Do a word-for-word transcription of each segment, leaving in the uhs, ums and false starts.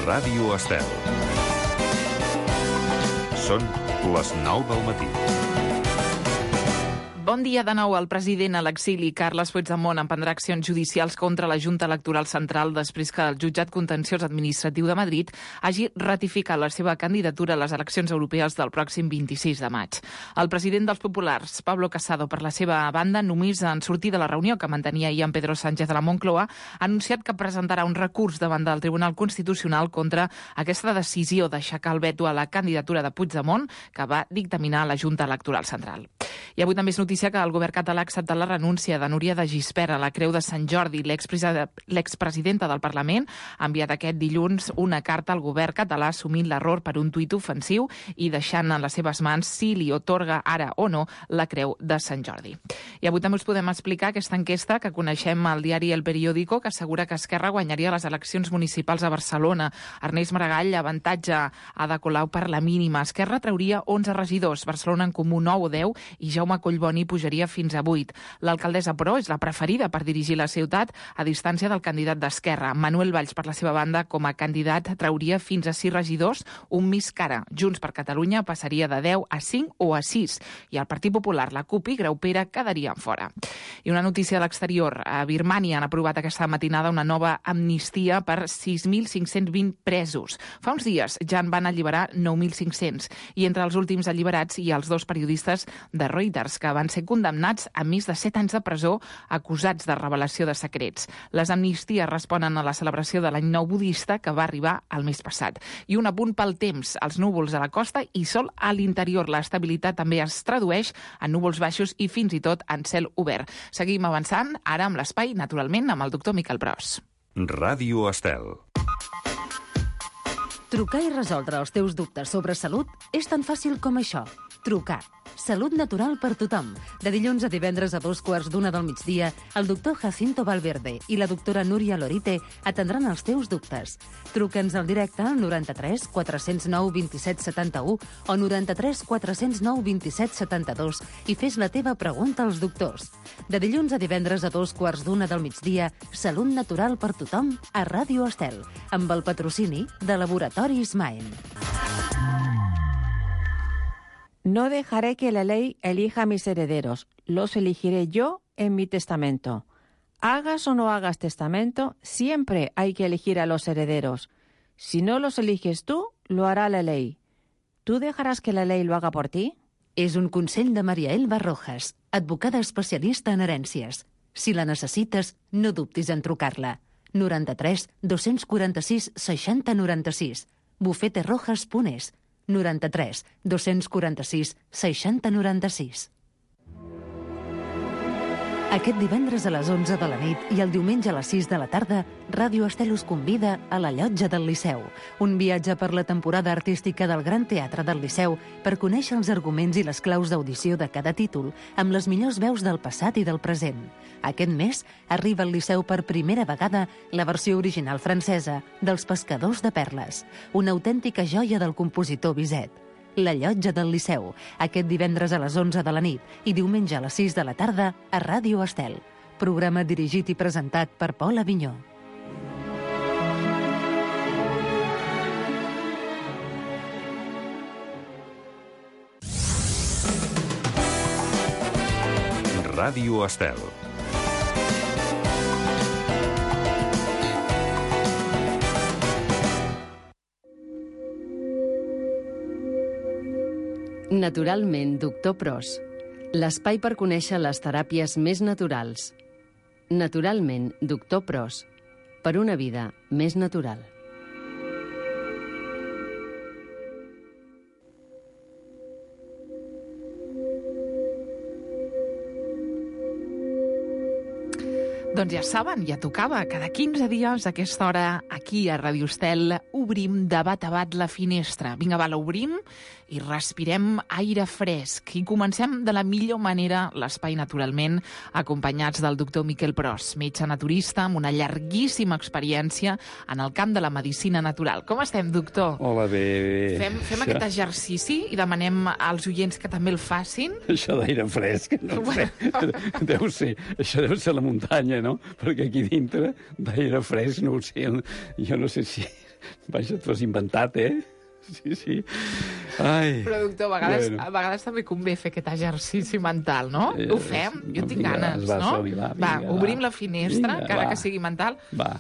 Ràdio Estel. Són les nou del matí. Bon dia de nou. El president a l'exili, Carles Puigdemont, emprendrà accions judicials contra la Junta Electoral Central després que el jutjat contenciós administratiu de Madrid hagi ratificat la seva candidatura a les eleccions europees del pròxim vint-i-sis de maig. El president dels populars, Pablo Casado, per la seva banda, només en sortir de la reunió que mantenia ahir amb Pedro Sánchez a la Moncloa, ha anunciat que presentarà un recurs davant del Tribunal Constitucional contra aquesta decisió d'aixecar el veto a la candidatura de Puigdemont que va dictaminar la Junta Electoral Central. I avui també és notícia que el govern català ha acceptat la renúncia de Núria de Gispert a la Creu de Sant Jordi. L'expresidenta del Parlament ha enviat aquest dilluns una carta al govern català assumint l'error per un tuit ofensiu i deixant en les seves mans si li otorga ara o no la Creu de Sant Jordi. I avui també us podem explicar aquesta enquesta que coneixem al diari El Periódico, que assegura que Esquerra guanyaria les eleccions municipals a Barcelona. Ernest Maragall avantatja Ada Colau per la mínima. Esquerra trauria onze regidors, Barcelona en Comú nou o deu i Jaume Collboni pujaria fins a vuit. L'alcaldessa, però, és la preferida per dirigir la ciutat a distància del candidat d'Esquerra. Manuel Valls, per la seva banda, com a candidat, trauria fins a sis regidors, un més cara. Junts per Catalunya passaria de deu a cinc o a sis. I el Partit Popular, la CUP i Graupera quedarien fora. I una notícia de l'exterior. A Birmània han aprovat aquesta matinada una nova amnistia per sis mil cinc-cents vint presos. Fa uns dies ja en van alliberar nou mil cinc-cents. I entre els últims alliberats hi ha els dos periodistes de Reuters, que van ser condemnats a més de set anys de presó acusats de revelació de secrets. Les amnisties responen a la celebració de l'any nou budista que va arribar el mes passat. I un apunt pel temps, els núvols a la costa i sol a l'interior. L'estabilitat també es tradueix en núvols baixos i fins i tot en cel obert. Seguim avançant, ara amb l'espai, naturalment, amb el doctor Miquel Pros. Ràdio Estel. Trucar i resoldre els teus dubtes sobre salut és tan fàcil com això. Trucar. Salut natural per tothom. De dilluns a divendres a dos quarts d'una del migdia, el doctor Jacinto Valverde i la doctora Núria Lorite atendran els teus dubtes. Truca'ns al directe al noranta-tres quatre zero nou dos set set u o noranta-tres quatre zero nou dos set set dos i fes la teva pregunta als doctors. De dilluns a divendres a dos quarts d'una del migdia, Salut natural per tothom a Ràdio Estel, amb el patrocini de Laboratoris Maen. No dejaré que la ley elija a mis herederos, los elegiré yo en mi testamento. Hagas o no hagas testamento, siempre hay que elegir a los herederos. Si no los eliges tú, lo hará la ley. ¿Tú dejarás que la ley lo haga por ti? És un consell de Maria Elba Rojas, advocada especialista en herències. Si la necessites, no dubtis en trucar-la. noranta-tres dos quaranta-sis seixanta noranta-sis. bufete rojas punt es. noranta-tres dos quaranta-sis seixanta noranta-sis. Aquest divendres a les onze de la nit i el diumenge a les sis de la tarda, Ràdio Estel us convida a la Llotja del Liceu, un viatge per la temporada artística del Gran Teatre del Liceu per conèixer els arguments i les claus d'audició de cada títol amb les millors veus del passat i del present. Aquest mes arriba al Liceu per primera vegada la versió original francesa dels Pescadors de Perles, una autèntica joia del compositor Bizet. La Llotja del Liceu, aquest divendres a les onze de la nit i diumenge a les sis de la tarda a Ràdio Estel. Programa dirigit i presentat per Pol Avinyó. Ràdio Estel. Naturalment, doctor Pros. L'espai per conèixer les teràpies més naturals. Naturalment, doctor Pros. Per una vida més natural. Doncs ja saben, ja tocava. Cada quinze dies a aquesta hora, aquí a Ràdio Estel, obrim de bat a bat la finestra. Vinga, va, l'obrim i respirem aire fresc. I comencem de la millor manera l'espai, naturalment, acompanyats del doctor Miquel Pros, metge naturista amb una llarguíssima experiència en el camp de la medicina natural. Com estem, doctor? Hola, bé, bé. Fem, fem això... aquest exercici i demanem als oients que també el facin. Això d'aire fresc, no ho sé. Deu ser, això deu ser la muntanya, no? Perquè aquí dintre d'aire fresc, no ho sé, jo no sé si... Vaja, t'ho has inventat, eh? Sí, sí. Ai. Però, doctor, a vegades, Bueno. a vegades també convé fer aquest exercici mental, no? Eh, Ho fem? Jo tinc vinga, ganes, va, no? som-hi, va, Va, vinga, obrim va. la finestra, Vinga, encara va. que sigui mental, Va.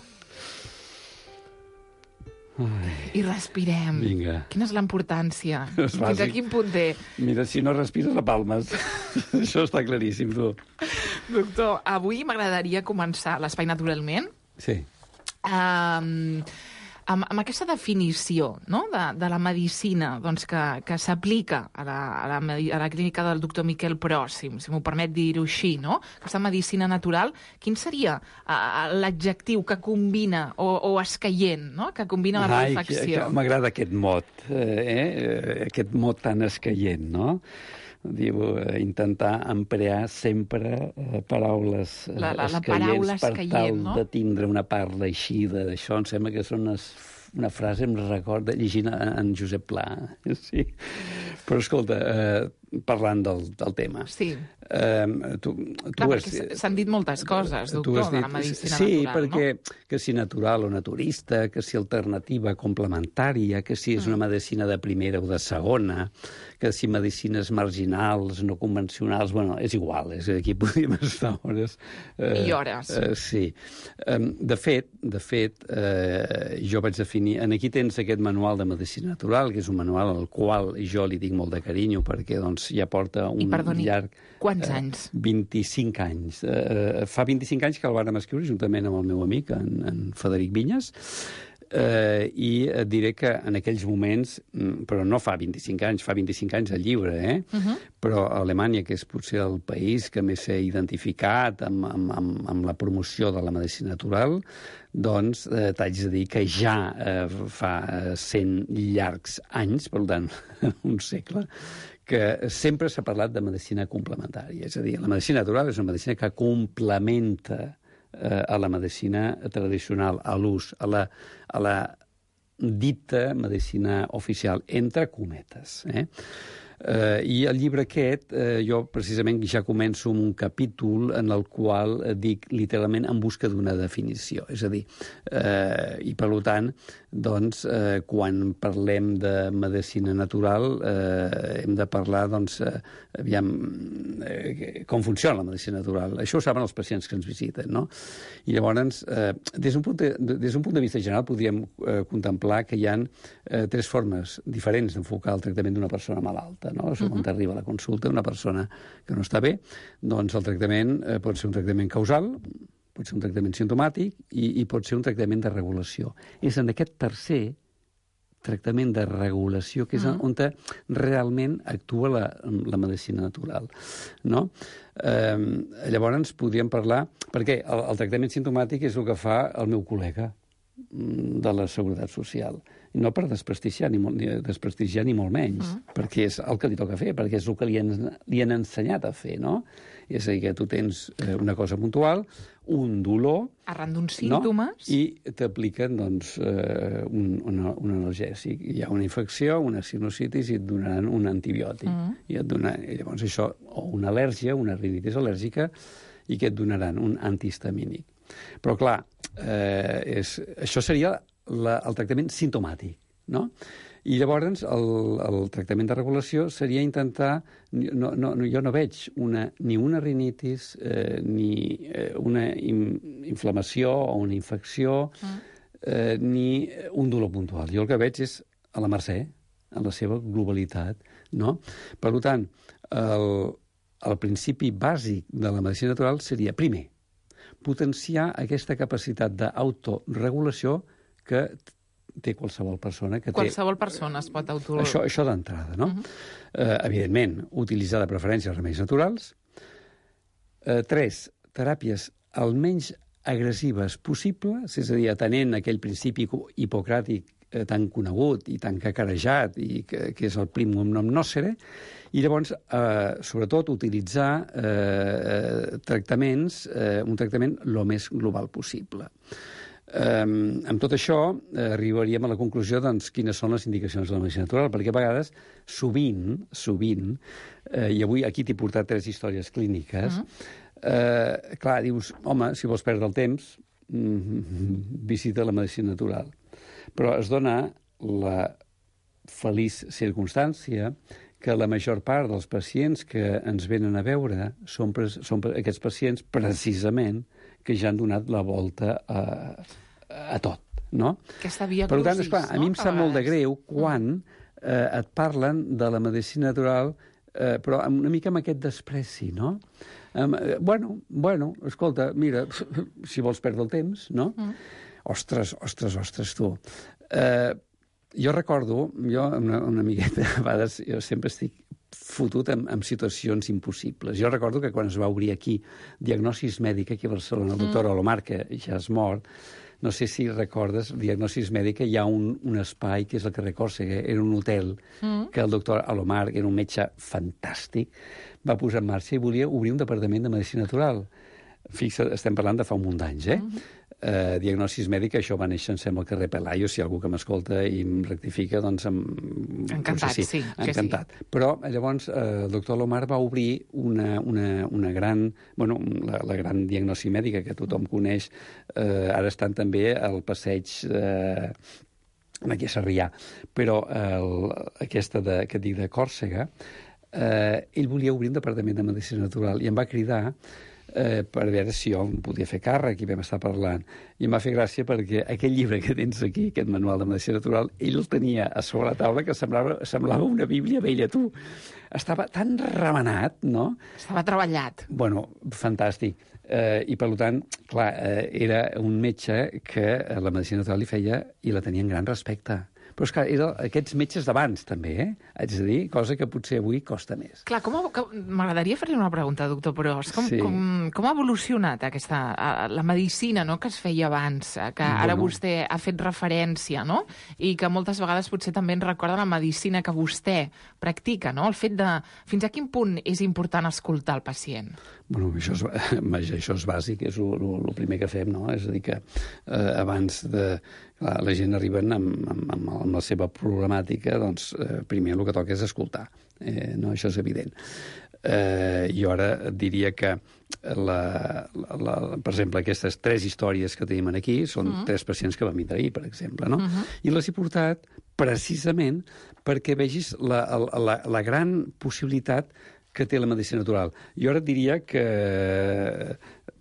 i respirem. Vinga. Quina és l'importància? És Fins a bàsic. quin punt té? Mira, si no respires, la palmes. Això està claríssim, tu. Doctor, avui m'agradaria començar l'espai naturalment Sí. um, amb, amb aquesta definició, no?, de, de la medicina, doncs, que, que s'aplica a la, a, la, medi- a la clínica del doctor Miquel Pros, si, si m'ho permet dir-ho així, no? Aquesta medicina natural, quin seria uh, l'adjectiu que combina, o, o escaient, no?, que combina la Ai, que, reflexió? que m'agrada aquest mot, eh? eh? Aquest mot tan escaient, no? Diu, eh, intentar emplear sempre eh, paraules eh, La- la- la escaients paraula per escaient, tal no? de tindre una parla així d'això. Em sembla que són unes, una frase, em recorda, llegint en, en Josep Pla. Sí. Però, escolta, eh, parlant del, del tema... Sí. Eh, tu, tu Clar, has- perquè s'han dit moltes coses, tu doctor, has de la dit- medicina sí, natural, perquè no? que si natural o naturista, que si alternativa complementària, que si és una medicina de primera o de segona, que si medicines marginals, no convencionals, bueno, és igual, és, aquí podríem estar hores. I hores. Eh, sí. Eh, de fet, de fet eh, jo vaig definir... En aquí tens aquest manual de medicina natural, que és un manual al qual jo li dic molt de carinyo, perquè doncs, ja porta un I perdoni, llarg... quants anys? vint-i-cinc anys. Eh, fa vint-i-cinc anys que el vàrem escriure juntament amb el meu amic, en, en Frederic Vinyes, eh, i et diré que en aquells moments, mm, però no fa vint-i-cinc anys, fa vint-i-cinc anys el llibre, eh? Uh-huh. Però Alemanya, que és potser el país que més s'ha identificat amb, amb, amb, amb la promoció de la medicina natural, doncs eh, t'haig de dir que ja eh, fa cent llargs anys, per tant, un segle, que sempre s'ha parlat de medicina complementària. És a dir, la medicina natural és una medicina que complementa eh, a la medicina tradicional, a l'ús, a la, a la dita medicina oficial, entre cometes. Eh? Eh, I el llibre aquest, eh, jo precisament ja començo amb un capítol en el qual eh, dic literalment en busca d'una definició. És a dir, eh, i per tant, doncs, eh, quan parlem de medicina natural, eh, hem de parlar, doncs, eh, aviam, eh, com funciona la medicina natural. Això ho saben els pacients que ens visiten, no? I llavors, eh, des d'un punt de, des d'un punt de vista general, podríem eh, contemplar que hi ha eh, tres formes diferents d'enfocar el tractament d'una persona malalta, no? Això, quan t'arriba a la consulta una persona que no està bé, doncs el tractament eh, pot ser un tractament causal, pot ser un tractament simptomàtic i, i pot ser un tractament de regulació. És en aquest tercer tractament de regulació que és mm. on realment actua la, la medicina natural, no? Eh, llavors podríem parlar... Perquè el, el tractament simptomàtic és el que fa el meu col·lega de la Seguretat Social. I no per desprestigiar ni, molt, ni desprestigiar ni molt menys, mm. perquè és el que li toca fer, perquè és el que li han, li han ensenyat a fer, no? És a dir, que tu tens una cosa puntual, un dolor... Arran d'uns símptomes... No? I t'apliquen, doncs, eh, un, un, un analgèsic. Hi ha una infecció, una sinusitis, i et donaran un antibiòtic. Mm. I et donaran, i llavors això, o una al·lèrgia, una rinitis al·lèrgica, i que et donaran un antihistamínic. Però, clar, eh, és, això seria la, el tractament simptomàtic, no? I llavors el, el tractament de regulació seria intentar... No, no, jo no veig una, ni una rinitis, eh, ni eh, una in, inflamació o una infecció, mm. eh, ni un dolor puntual. Jo el que veig és a la mercè, en la seva globalitat, no? Per tant, el, el principi bàsic de la medicina natural seria, primer, potenciar aquesta capacitat d'autoregulació que té qualsevol persona. Que qualsevol té... persona es pot auto... Això, això d'entrada, no? Uh-huh. eh, evidentment, utilitzar de preferència els remeis naturals. Eh, tres, teràpies almenys agressives possibles, és a dir, atenent aquell principi hipocràtic eh, tan conegut i tan cacarejat, i que, que és el primum non nocere, i llavors, eh, sobretot, utilitzar eh, tractaments, eh, un tractament el més global possible. Eh, amb tot això, eh, arribaríem a la conclusió, doncs, quines són les indicacions de la medicina natural, perquè a vegades, sovint, sovint, eh, i avui aquí t'he portat tres històries clíniques, uh-huh. eh, clar, dius, home, si vols perdre el temps, mm, visita la medicina natural. Però es dona la feliç circumstància que la major part dels pacients que ens venen a veure són, són aquests pacients precisament que ja han donat la volta a, a tot, no? Aquesta via per tant, crucis, esclar, a mi em no? sap molt de greu quan eh, et parlen de la medicina natural, eh, però una mica amb aquest despreci, no? Um, eh, bueno, bueno, escolta, mira, si vols perdre el temps, no? Mm. Ostres, ostres, ostres, tu. Eh, jo recordo, jo una, una miqueta, a vegades, jo sempre estic fotut en, en situacions impossibles. Jo recordo que quan es va obrir aquí Diagnosis Mèdica, aquí a Barcelona, el doctor mm. Olomar, que ja és mort, no sé si recordes, Diagnosis Mèdica, hi ha un, un espai que és el carrer Còrsega, era un hotel mm. que el doctor Olomar, que era un metge fantàstic, va posar en marxa i volia obrir un departament de medicina natural. Fixa, estem parlant de fa un munt d'anys, eh? Mm-hmm. Uh, Diagnosis Mèdica, això va néixer, em sembla, al carrer Pelayo, si hi ha algú que m'escolta i em rectifica, doncs... Em... Encantat, sí, sí. Encantat. Sí. Però, llavors, uh, el doctor Lomar va obrir una, una, una gran... Bueno, la, la gran diagnosi mèdica que tothom coneix. Uh, ara estan també al passeig... Uh, aquí a Sarrià. Però uh, aquesta de, que et dic de Còrsega, uh, ell volia obrir un departament de medicina natural i em va cridar Eh, per veure si jo em podia fer càrrec i vam estar parlant. I em va fer gràcia perquè aquell llibre que tens aquí, aquest manual de medicina natural, ell el tenia a sobre la taula que semblava, semblava una bíblia vella, tu. Estava tan remenat, no? Estava treballat. Bueno, fantàstic. Eh, I, per tant, clar, eh, era un metge que la medicina natural li feia i la tenia en gran respecte. Però, esclar, eren aquests metges d'abans, també, eh? Haig de dir, cosa que potser avui costa més. Clar, com m'agradaria fer-li una pregunta, doctor Pros. Com, sí. com, com ha evolucionat aquesta, la medicina, no?, que es feia abans, que ara bueno. vostè ha fet referència, no?, i que moltes vegades potser també ens recorda la medicina que vostè practica, no?, el fet de fins a quin punt és important escoltar el pacient. Bueno, això és, això és bàsic, és el primer que fem, no? És a dir, que eh, abans de... Clar, la gent arriba amb, amb, amb la seva problemàtica, doncs eh, primer el que toca és escoltar. Eh, no, això és evident. Eh, jo ara diria que, la, la, la, per exemple, aquestes tres històries que tenim aquí són uh-huh. tres pacients que van vindre ahir, per exemple, no? Uh-huh. I les he portat precisament perquè vegis la, la, la gran possibilitat que té la medicina natural. Jo ara et diria que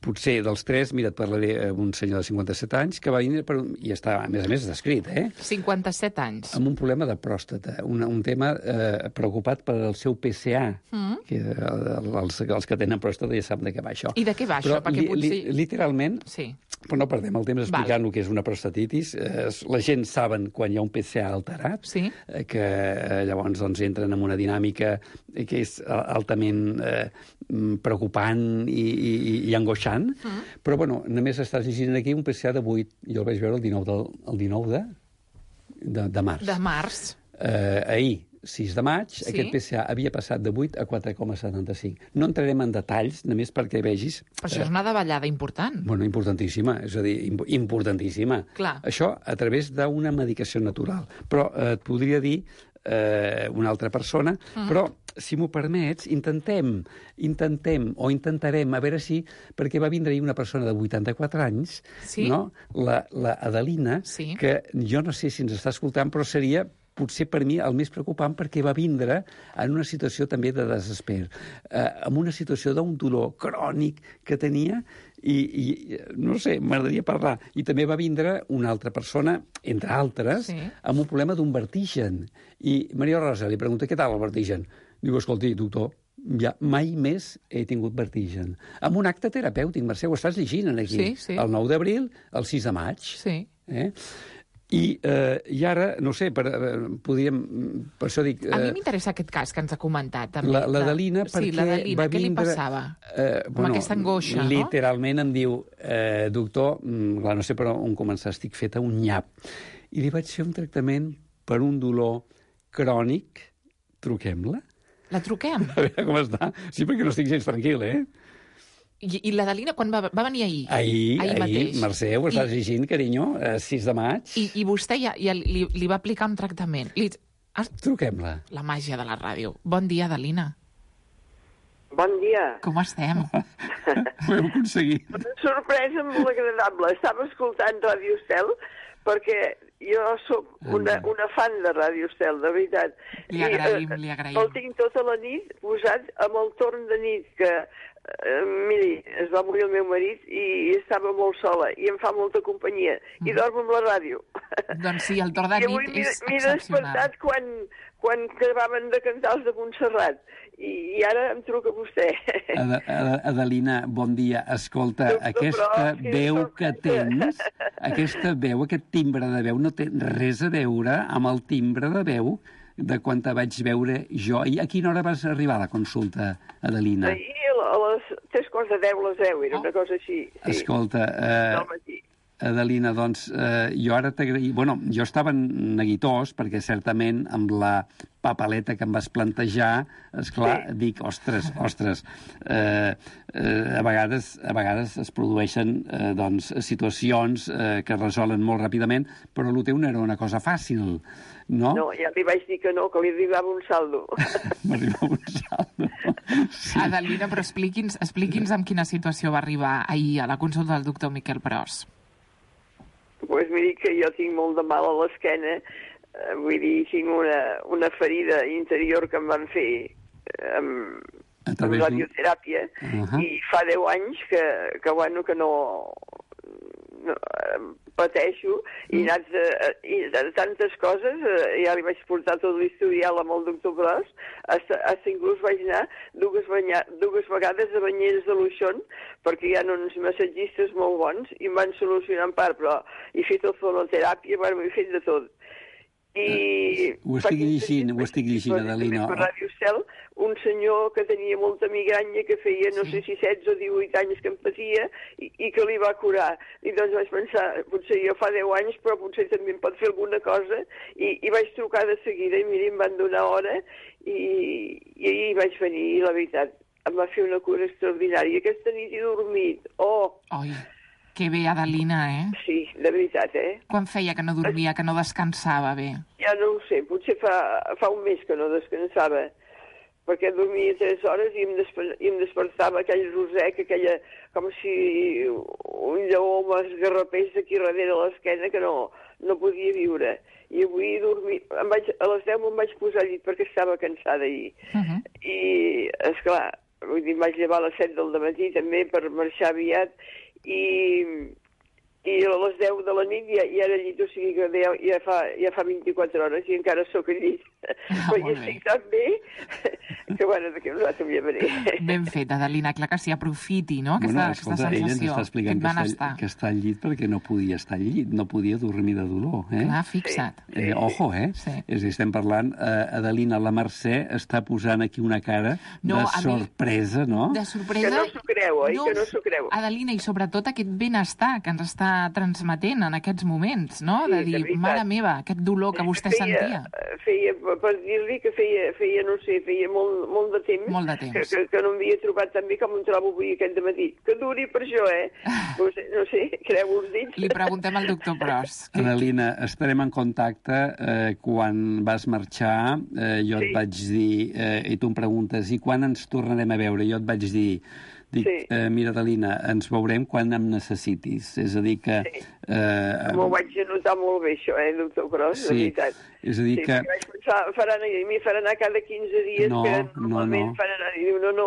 potser dels tres, mira, et parlaré d'un senyor de cinquanta-set anys que va vindre per un... i està, a més a més, descrit, eh? cinquanta-set anys. Amb un problema de pròstata, un, un tema eh, preocupat per el seu P C A, mm. que els, els que tenen pròstata ja saben de què va això. I de què va això? Però Perquè li, potser... li, literalment, sí. però no perdem el temps explicant Val. el que és una prostatitis. Eh, la gent saben quan hi ha un P C A alterat, sí. eh, que eh, llavors doncs, entren en una dinàmica que és altament eh, preocupant i, i, i angoixant, mm. però bueno, només estàs llegint aquí un P C A de vuit. Jo el vaig veure el dinou de, el dinou de, de, de març. De març. Eh, ahir, sis de maig, sí. aquest P C A havia passat de vuit a quatre coma setanta-cinc. No entrarem en detalls, només perquè vegis... Però això eh, és una davallada important. Bueno, importantíssima, és a dir, importantíssima. Clar. Això a través d'una medicació natural. Però eh, et podria dir eh, una altra persona, mm. però, si m'ho permets, intentem, intentem o intentarem, a veure si, perquè va vindre ahir una persona de vuitanta-quatre anys, sí? no? la, la Adelina, sí. que jo no sé si ens està escoltant, però seria potser per mi el més preocupant perquè va vindre en una situació també de desesper, eh, en una situació d'un dolor crònic que tenia i, i no sé, m'agradaria parlar. I també va vindre una altra persona, entre altres, sí. amb un problema d'un vertigen. I Maria Rosa li pregunta, què tal el vertigen? Diu, escolti, doctor, ja mai més he tingut vertigen. Amb un acte terapèutic, Mercè, ho estàs llegint aquí. Sí, sí. El nou d'abril, el sis de maig. Sí. Eh? I, eh, I ara, no sé, per, eh, podríem... Per això dic... Eh, a mi m'interessa aquest cas que ens ha comentat. També, la L'Adelina, sí, perquè va què vindre... li passava? Eh, bueno, amb aquesta angoixa, no? Literalment em diu, eh, doctor, clar, no sé per on començar, estic feta un nyap. I li vaig fer un tractament per un dolor crònic. Truquem-la? La truquem? A veure com està. Sí, perquè no estic gens tranquil, eh? I, i l'Adelina quan va, va venir ahir? Ahir, ahir, ahir Mercè, ho estàs I... llegint, carinyo, eh, sis de maig. I, i vostè ja, ja li, li va aplicar un tractament. Li... Truquem-la. La màgia de la ràdio. Bon dia, Adelina. Bon dia. Com estem? Ho hem aconseguit. Una sorpresa molt agradable. Estava escoltant Ràdio Estel perquè jo sóc una, una fan de Ràdio Estel, de veritat. Li agraïm, I, eh, li agraïm. El tinc tota la nit posat amb el torn de nit, que, eh, miri, es va morir el meu marit i estava molt sola, i em fa molta companyia, i Mm. dormo amb la ràdio. Doncs sí, el torn de I avui nit és m'he excepcional. despertat quan, quan acabaven de cantar els de Montserrat, i, i ara em truca vostè. Ad Ad Adelina, bon dia. Escolta, Doctor aquesta Pros, quina veu que sorpresa. tens, aquesta veu, aquest timbre de veu, no té res a veure amb el timbre de veu de quan te vaig veure jo. I a quina hora vas arribar a la consulta, Adelina? Ahir a les tres quarts de deu, les deu, era una cosa així. Sí. Escolta, eh, Del matí. Adelina, doncs, eh, jo ara t'agraï... Bueno, jo estava neguitós, perquè certament amb la papaleta que em vas plantejar, esclar, sí. dic, ostres, ostres, eh, eh, a, vegades, a vegades es produeixen eh, doncs, situacions eh, que es resolen molt ràpidament, però el teu no era una cosa fàcil, no? No, ja li vaig dir que no, que li arribava un saldo. M'arribava un saldo. Sí. Adelina, però expliqui'ns expliqui'ns amb quina situació va arribar ahir a la consulta del doctor Miquel Pros. Pues miri que jo tinc molt de mal a l'esquena, eh, vull dir, tinc una, una ferida interior que em van fer eh, amb, A amb través d'un- radioteràpia, Uh -huh. i fa deu anys que, que, bueno, que no, no eh, pateixo, i, Mm. anats, eh, i de tantes coses, eh, ja li vaig portar tot l'historial amb el doctor Pros, hasta, hasta inclús vaig anar dues, banya, dues vegades a banyeres de Luixón, perquè hi ha uns massatgistes molt bons, i em van solucionar en part, però he fet el fonoteràpia, bueno, he fet de tot. I Ho fa estic quinze llegint, dies ho estic vaig llegint, veure Adelina. també Per Ràdio Estel, un senyor que tenia molta migranya, que feia, no Sí. sé si setze o divuit anys que em patia, i, i que li va curar. I doncs vaig pensar, potser jo fa deu anys, però potser també em pot fer alguna cosa, i, i vaig trucar de seguida, i mira, em van donar hora, i, i ahir vaig venir, i la veritat, em va fer una cura extraordinària. Aquesta nit he dormit. Oh, Oi, que bé, Adelina, eh? sí, de veritat, eh? Quan feia que no dormia, que no descansava bé? Ja no ho sé, potser fa, fa un mes que no descansava, perquè dormia tres hores i em, desper i em despertava aquell rosec, aquella, com si un lleó m'esgarrapés aquí darrere l'esquena, que no, no podia viure. I avui he dormit, em vaig, a les deu me'n vaig posar al llit perquè estava cansada ahir. Uh -huh. I, esclar, vull dir, em vaig llevar a les set del matí també per marxar aviat, i, i a les deu de la nit ja, ja era al llit, o sigui que ja, ja, fa, ja fa vint-i-quatre hores i encara sóc al llit. Ah, Però molt ja bé. estic tan bé que, bueno, d'aquí a un rato em llevaré. Ben fet, Adelina, clar que sí, aprofiti, no?, aquesta, Bueno, aquesta escolta, ella ens sensació, està explicant que aquest està, benestar. que està al llit perquè no podia estar al llit, no podia dormir de dolor. Eh? Clar, fixa't. Eh, ojo, eh? Sí. És a dir, estem parlant, eh, Adelina, la Mercè està posant aquí una cara No, de a mi- sorpresa, no? De sorpresa... Que no s'ho creu, oi? Que no s'ho creu. Adelina, i sobretot aquest benestar que ens està transmetent en aquests moments, no? Sí, De de dir, veritat. mare meva, aquest dolor que vostè sentia. Feia, per dir-li que feia, feia, no sé, feia molt, molt de temps, Molt de temps. Que, que, que no m'havia trobat tan bé com em trobo avui aquest dematí. Que duri per això, eh? No sé, no sé, creu els dits. Li preguntem al doctor Pros. Que... Adelina, estarem en contacte eh, quan vas marxar. Eh, jo Sí. et vaig dir, eh, i tu em preguntes, i quan ens tornarem a veure? Jo et vaig dir, dic, Sí. eh, mira, Adelina, ens veurem quan em necessitis. És a dir que... Sí. Eh, M'ho vaig anotar molt bé, això, eh, doctor Pros, Sí, de veritat. és a dir Sí, que... perquè vaig pensar, faran, a mi faran anar cada quinze dies, No, que no, normalment no. fan anar, i diu, no, no,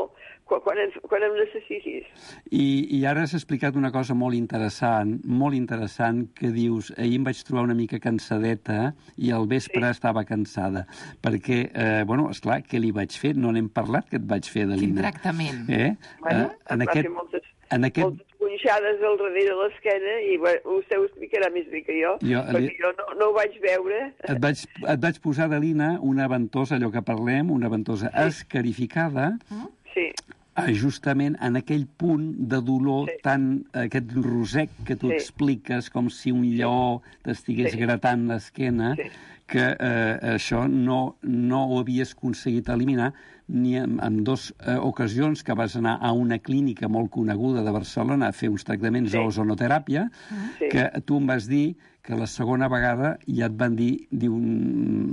quan, quan, em, quan em necessitis. I, I ara has explicat una cosa molt interessant, molt interessant, que dius, ahir em vaig trobar una mica cansadeta i al vespre sí. estava cansada. Perquè, eh, bueno, esclar, què li vaig fer? No n'hem parlat, que et vaig fer, Adelina. Quin tractament. Eh? Bueno, eh, en em va aquest, fer moltes, en aquest... moltes punxades al darrere de l'esquena, i bueno, vostè ho explicarà més bé que jo, Jo, perquè li- jo no, no ho vaig veure. Et vaig, et vaig posar, Adelina, una ventosa, allò que parlem, una ventosa sí. escarificada, Sí, eh, justament en aquell punt de dolor, Sí. tan, aquest rosec que tu Sí. expliques, com si un lleó t'estigués Sí. gratant l'esquena, Sí. que eh, això no, no ho havies aconseguit eliminar ni en, en dues eh, ocasions que vas anar a una clínica molt coneguda de Barcelona a fer uns tractaments Sí. d'ozonoteràpia, Sí. que tu em vas dir que la segona vegada ja et van dir, diu,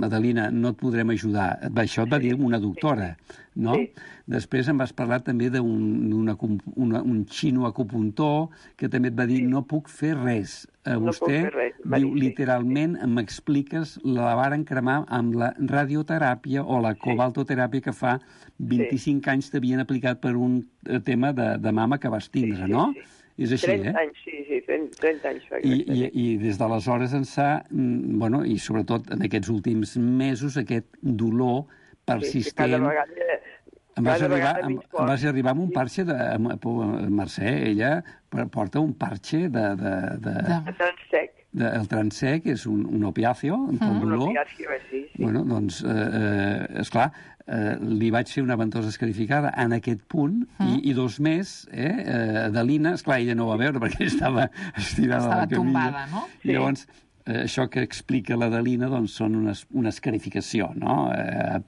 Adelina, no et podrem ajudar. Això et va dir una doctora, no? Sí. Després em vas parlar també d'un un xino acupuntor que també et va dir, no puc fer res. a No vostè, puc fer res, va diu, dir, sí. literalment, m'expliques, la varen cremar amb la radioteràpia o la cobaltoteràpia que fa vint-i-cinc anys t'havien aplicat per un eh, tema de, de mama que vas tindre, Sí, sí, no? sí. És així, trenta eh? anys, sí, sí, trenta anys fa. I, i, i des d'aleshores ençà, mm, bueno, i sobretot en aquests últims mesos, aquest dolor persistent... Sí, cada vegada... Em vas, cada arribar, vegada em, menys em fort. vas arribar amb un parxe de... Amb, Mercè, ella porta un parxe de... de, de, De- De Transsec. de el Transec, és un, un opiáceo, un Mm. pel Un dolor. opiáceo, eh, sí, sí. Bueno, doncs, eh, eh, esclar, eh, li vaig fer una ventosa escarificada en aquest punt, Mm. i, i dos més, eh, eh, Adelina, esclar, ella no ho va veure perquè estava estirada Estava a la camilla. tombada, no? I llavors, eh, això que explica l'Adelina, doncs, són unes, una escarificació, no? Eh,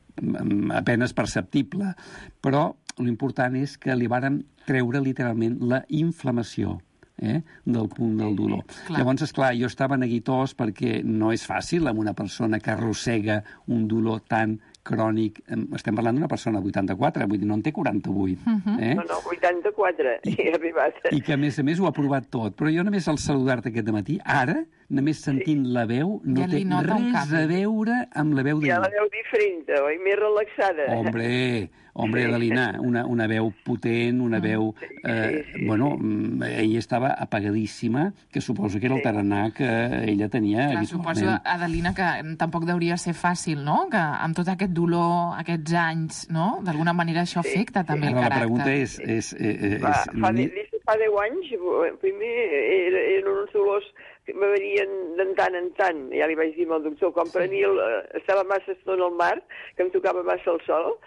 apenes perceptible. Però l'important és que li varen treure literalment la inflamació, eh, del punt del dolor. Clar. Llavors, esclar, jo estava neguitós perquè no és fàcil amb una persona que arrossega un dolor tan crònic. Estem parlant d'una persona de vuitanta-quatre, vull dir, no en té quaranta-vuit. eh? No, no, vuitanta-quatre, he arribat. I que, a més a més, ho ha provat tot. Però jo només al saludar-te aquest matí, ara, només sentint la veu, no Ja li té nota un res canvi. a veure amb la veu de... Ja la veu diferent, oi? Més relaxada. Hombre, hombre, Adelina, una, una veu potent, una veu... Eh, bueno, mm, ella estava apagadíssima, que suposo que era el tarannà que ella tenia Clar, habitualment. suposo, Adelina, que tampoc deuria ser fàcil, no? Que amb tot aquest dolor, aquests anys, no? D'alguna manera això afecta també el Ara la caràcter. pregunta és... és, és, Fa, és fa, de, des de fa deu anys, primer era, eren uns dolors que me venien de tant en tant. Ja li vaig dir al doctor, quan prenia el, estava massa estona al mar, que em tocava massa el sol,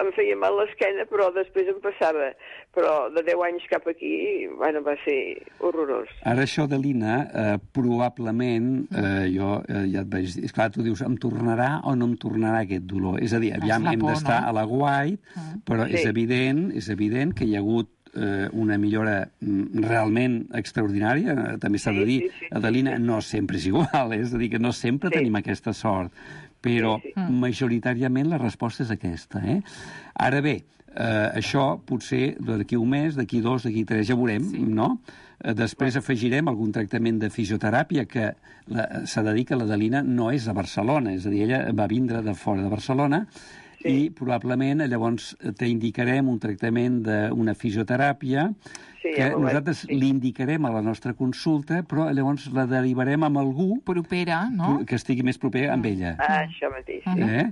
em feia mal l'esquena, però després em passava. Però de deu anys cap aquí, bueno, va ser horrorós. Ara això de l'Ina, eh, probablement, eh, jo eh, ja et vaig dir, esclar, tu dius, em tornarà o no em tornarà aquest dolor? És a dir, aviam, la hem por, d'estar no? a la guait, però Sí. és evident, és evident que hi ha hagut eh, una millora mm, realment extraordinària, eh, també s'ha Sí, de dir, sí, sí, sí, Adelina, sí. no sempre és igual, eh? És a dir, que no sempre Sí. tenim aquesta sort, però Sí, sí. majoritàriament la resposta és aquesta, eh? Ara bé, eh, això potser d'aquí un mes, d'aquí dos, d'aquí tres, ja veurem, sí. no? Eh, Després afegirem algun tractament de fisioteràpia que la- s'ha de dir que l'Adelina no és a Barcelona, és a dir, ella va vindre de fora de Barcelona, Sí. i probablement llavors t'indicarem un tractament d'una fisioteràpia Sí, que ja ho vaig- nosaltres sí. l'indicarem a la nostra consulta, però llavors la derivarem amb algú Propera, no? que estigui més proper amb ella. Ah, això mateix, sí. Eh?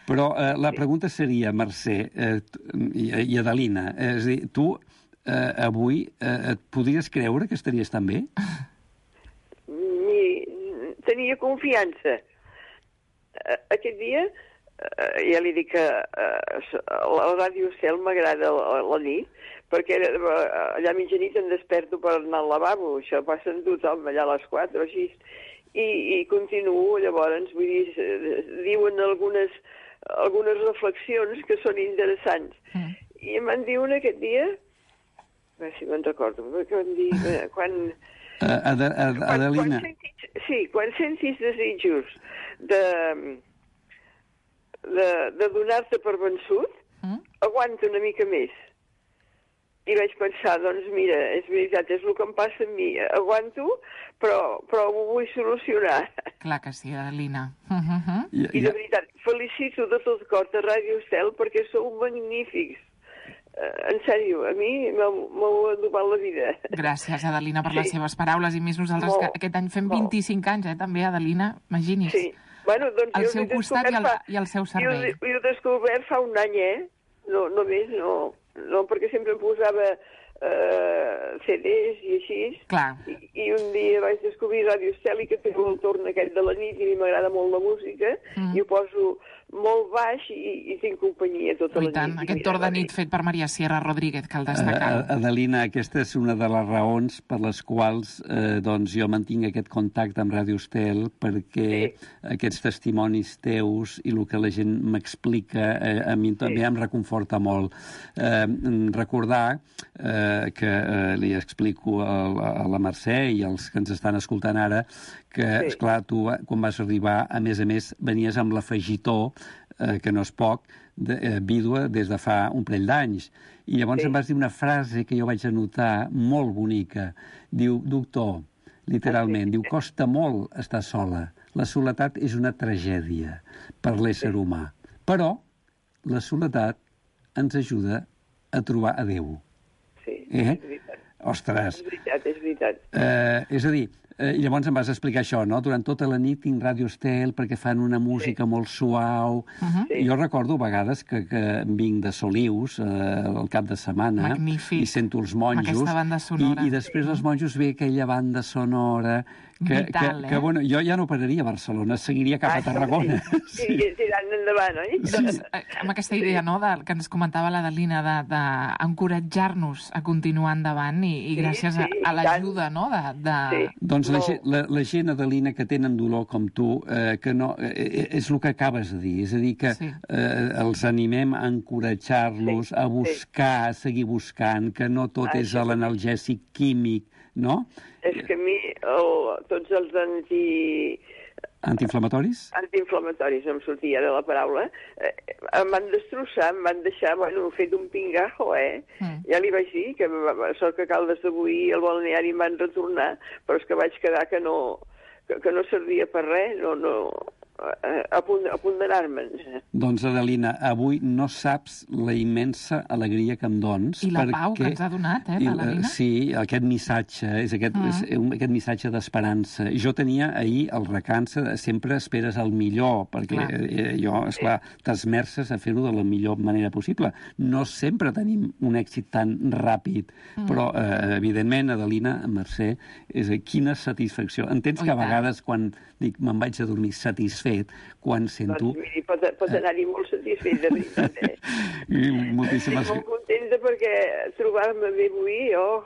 Però eh, la pregunta seria, Mercè eh, t- i, i Adelina, eh, és a dir, tu eh, avui eh, et podries creure que estaries tan bé? Ni, tenia confiança. Eh, Aquest dia, eh, ja li dic que eh, la ràdio Cel m'agrada la, la nit, perquè eh, allà a mitjanit em desperto per anar al lavabo, això passa en tothom, allà a les quatre o així, i, i continuo, llavors, vull dir, eh, diuen algunes, algunes reflexions que són interessants. Mm. I em van dir una aquest dia, a veure si me'n recordo, que van dir, eh, quan... Uh, Ad Ad Quan, Adelina, quan sentis, sí, quan sentis desitjos de, de, de donar-te per vençut, Mm? aguanta una mica més. I vaig pensar, doncs mira, és veritat, és el que em passa a mi. Aguanto, però, però ho vull solucionar. Clar que sí, Adelina. Uh -huh. i, I de veritat, felicito de tot cor a Ràdio Estel perquè sou magnífics. Uh, en sèrio, a mi m'heu m'heu adobat la vida. Gràcies, Adelina, per Sí. les seves paraules, i més nosaltres, Molt, que aquest any fem molt. vint-i-cinc anys, eh, també, Adelina, imagini's. Sí. Bueno, doncs Al jo seu l'he costat i al, descobert fa- i al seu Jo, servei. jo he descobert fa un any, eh? No, no més, no. No, perquè sempre em posava eh, C Ds i així. Clar. I, I un dia vaig descobrir Ràdio Estel i que té el torn aquest de la nit i a mi m'agrada molt la música. Mm. I ho poso molt baix i, i tinc companyia tota I la tant, nit. I aquest mira, torn de va nit bé. fet per Maria Sierra Rodríguez, cal destacar. Uh, Adelina, aquesta és una de les raons per les quals eh, doncs jo mantinc aquest contacte amb Ràdio Estel, perquè Sí. aquests testimonis teus i el que la gent m'explica eh, a mi també Sí. em reconforta molt. Eh, recordar eh, que eh, li explico a, a la Mercè i als que ens estan escoltant ara que, Sí. esclar, tu quan vas arribar, a més a més, venies amb l'afegitó, eh, que no és poc, de, eh, vídua des de fa un parell d'anys. I llavors Sí. em vas dir una frase que jo vaig anotar molt bonica. Diu, doctor, literalment. Diu, costa molt estar sola. La soledat és una tragèdia per l'ésser humà. Però la soledat ens ajuda a trobar a Déu. Sí, eh? és veritat. Ostres. És veritat, és veritat. Eh, és a dir, eh, llavors em vas explicar això, no? Durant tota la nit tinc Ràdio Estel perquè fan una música sí. molt suau. Uh-huh. Sí. Jo recordo a vegades que, que vinc de Solius eh, al cap de setmana. Magnífic. I sento els monjos. Aquesta banda sonora. I, i després els monjos ve aquella banda sonora que, vital, que, eh? que bueno, jo ja no pararia a Barcelona, seguiria cap Ah, a Tarragona. Sí, sí, tirant endavant, oi? Doncs, eh, amb aquesta idea, no?, de, que ens comentava l'Adelina, d'encoratjar-nos a continuar endavant i, i Sí, gràcies sí, a, a l'ajuda, no?, de... de... Sí. Doncs la, Molt. gent- la, la gent, Adelina, que tenen dolor com tu, eh, que no, eh, és el que acabes de dir, és a dir, que Sí. eh, els animem a encoratjar-los, Sí, a buscar, a seguir buscant, que no tot Ah, és això l'analgèsic químic, no? És que a mi el, tots els anti... Antiinflamatoris? antiinflamatoris, no em sortia ara la paraula, eh, em van destrossar, em van deixar, bueno, fet un pingajo, eh? Mm. Ja li vaig dir que sort que Caldes de Boí i el balneari em van retornar, però és que vaig quedar que no, que, que no servia per res, no, no, a, a punt, a punt d'anar-me'n. Doncs, Adelina, avui no saps la immensa alegria que em dons. I la perquè... pau que ens ha donat, eh, I, l'Adelina? Sí, aquest missatge, és aquest, Mm. és un- aquest missatge d'esperança. Jo tenia ahir el recança, de sempre esperes el millor, perquè Clar. eh, jo, esclar, t'esmerces a fer-ho de la millor manera possible. No sempre tenim un èxit tan ràpid, Mm. però, eh, evidentment, Adelina, Mercè, és a dir, quina satisfacció. Entens Oh, que a i tant. vegades, quan dic me'n vaig a dormir satisfet, quan sento... Doncs miri, pot, pot anar-hi molt satisfet, de veritat, eh? I Estic moltíssimes... molt contenta perquè trobar-me bé avui, oh,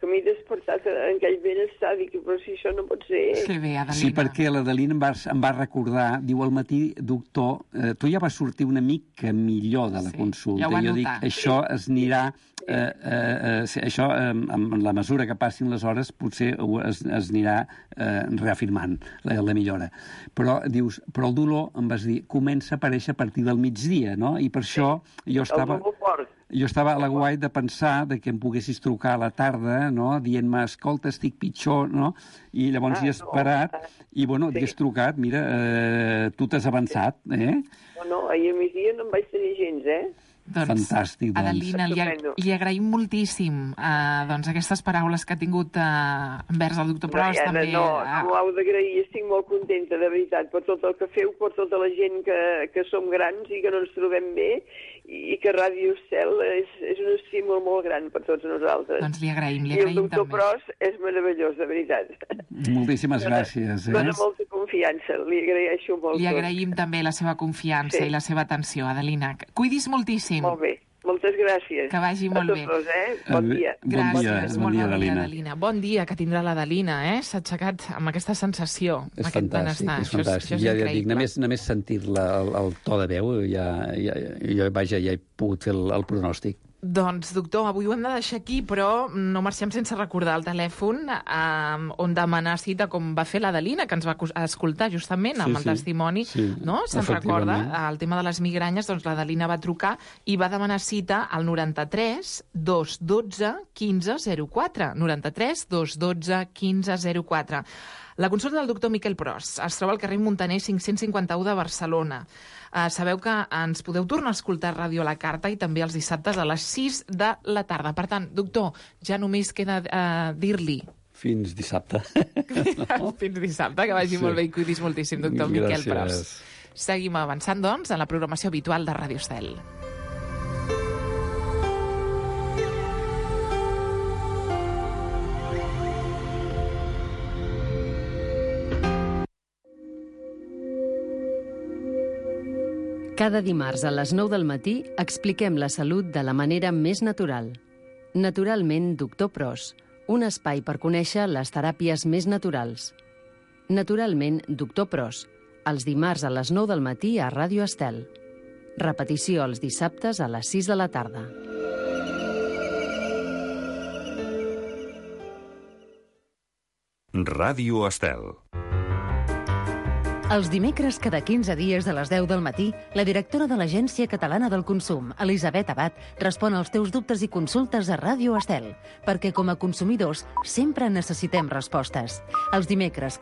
que m'he despertat en aquell benestar, dic, però si això no pot ser... Que bé, Adelina. Sí, perquè l'Adelina em, va, em va recordar, diu al matí, doctor, eh, tu ja vas sortir una mica millor de la Sí, consulta. ja ho va jo notar. dic, això es anirà, eh, eh, eh, sí, això, eh, amb la mesura que passin les hores, potser ho es, es anirà eh, reafirmant la, la millora. Però dius, però el dolor, em vas dir, comença a aparèixer a partir del migdia, no? I per això jo estava... El dolor fort. Jo estava a la guai de pensar de que em poguessis trucar a la tarda, no?, dient-me, escolta, estic pitjor, no? I llavors Ah, hi he esperat, no. i, bueno, Sí. t'hi has trucat, mira, eh, tu t'has avançat, eh? No, no, ahir a migdia no em vaig tenir gens, eh? Doncs, Fantàstic, doncs. Adelina, li, Estupendo. li agraïm moltíssim eh, doncs, aquestes paraules que ha tingut eh, envers el doctor Pros, no, també. no, eh, no m'ho heu d'agrair, estic molt contenta, de veritat, per tot el que feu, per tota la gent que, que som grans i que no ens trobem bé, i que Ràdio Estel és, és un estímul molt gran per tots nosaltres. Doncs li agraïm, li I el agraïm doctor també. Pros és meravellós, de veritat. Moltíssimes gràcies, eh? Dóna molta confiança, li agraeixo molt. Li tot. agraïm també la seva confiança Sí. i la seva atenció, Adelina. Cuidis moltíssim. Molt bé, moltes gràcies. Que vagi A molt tots bé. dos, eh? Bon Adé- dia. Bon Gràcies, dia, molt bon dia, bon dia, Adelina. Adelina. Bon dia que tindrà l'Adelina, eh? S'ha aixecat amb aquesta sensació, És amb aquest fantàstic, benestar. és Això fantàstic. això és ja, ja et increïble. dic, només, només sentir-la, el, el to de veu, ja, ja, jo, vaja, ja he pogut fer el, el pronòstic. Doncs, doctor, avui ho hem de deixar aquí, però no marxem sense recordar el telèfon eh, on demanar cita, com va fer l'Adelina, que ens va acus- escoltar justament Sí, amb el sí. testimoni, Sí, no? Se'n recorda? efectivament. El tema de les migranyes, doncs l'Adelina va trucar i va demanar cita al noranta-tres dos dotze quinze zero quatre. noranta-tres dos dotze quinze zero quatre. La consulta del doctor Miquel Pros es troba al carrer Montaner cinc-cents cinquanta-u de Barcelona. Uh, sabeu que ens podeu tornar a escoltar Ràdio a la Carta i també els dissabtes a les sis de la tarda. Per tant, doctor, ja només queda uh, dir-li Fins dissabte. fins dissabte, que vagi Sí. molt bé i cuidis moltíssim, doctor Miquel Gràcies. Pros. Seguim avançant, doncs, en la programació habitual de Ràdio Estel. Cada dimarts a les nou del matí expliquem la salut de la manera més natural. Naturalment, doctor Pros, un espai per conèixer les teràpies més naturals. Naturalment, doctor Pros, els dimarts a les nou del matí a Ràdio Estel. Repetició els dissabtes a les sis de la tarda. Ràdio Estel. Els dimecres, cada quinze dies a les deu del matí, la directora de l'Agència Catalana del Consum, Elisabet Abad, respon als teus dubtes i consultes a Ràdio Estel, perquè com a consumidors sempre necessitem respostes. Els dimecres,